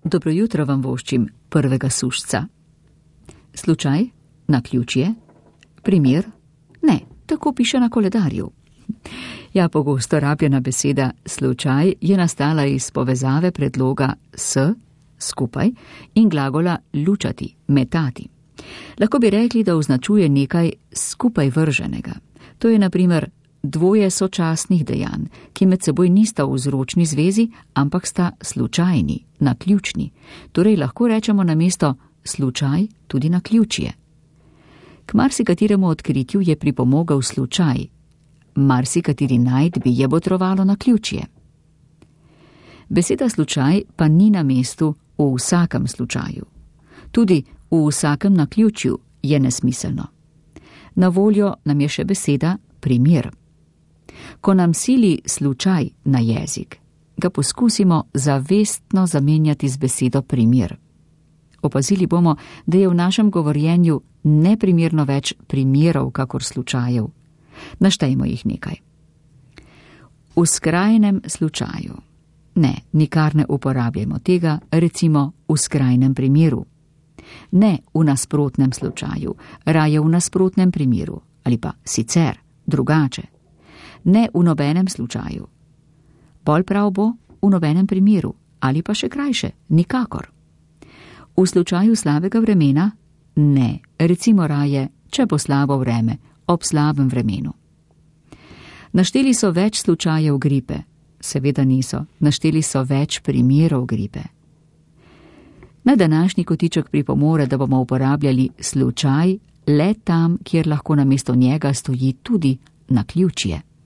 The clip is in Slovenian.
Dobro jutro vam voščim prvega sušca. Slučaj, naključje, primer, ne, tako piše na koledarju. Ja, pogosto rabljena beseda slučaj je nastala iz povezave predloga s, skupaj, in glagola lučati, metati. Lahko bi rekli, da označuje nekaj skupaj vrženega. To je na primer dvoje sočasnih dejanj, ki med seboj nista v vzročni zvezi, ampak sta slučajni, naključni. Torej lahko rečemo namesto slučaj tudi naključje. K marsikateremu odkritju je pripomogel slučaj, marsikateri najdbi je botrovalo naključje. Beseda slučaj pa ni na mestu v vsakem slučaju. Tudi v vsakem naključju je nesmiselno. Na voljo nam je še beseda primer. Ko nam sili slučaj na jezik, ga poskusimo zavestno zamenjati z besedo primer. Opazili bomo, da je v našem govorjenju neprimerno več primerov, kakor slučajev. Naštejmo jih nekaj. V skrajnem slučaju. Ne, nikar ne uporabljamo tega, recimo v skrajnem primeru. Ne v nasprotnem slučaju, raje v nasprotnem primeru, ali pa sicer, drugače. Ne v nobenem slučaju. Bolj prav bo v nobenem primeru, ali pa še krajše, nikakor. V slučaju slabega vremena? Ne, recimo raje, če bo slabo vreme, ob slabem vremenu. Našteli so več slučajev gripe. Seveda niso, našteli so več primerov gripe. Na današnji kotiček pripomore, da bomo uporabljali slučaj le tam, kjer lahko namesto njega stoji tudi naključje.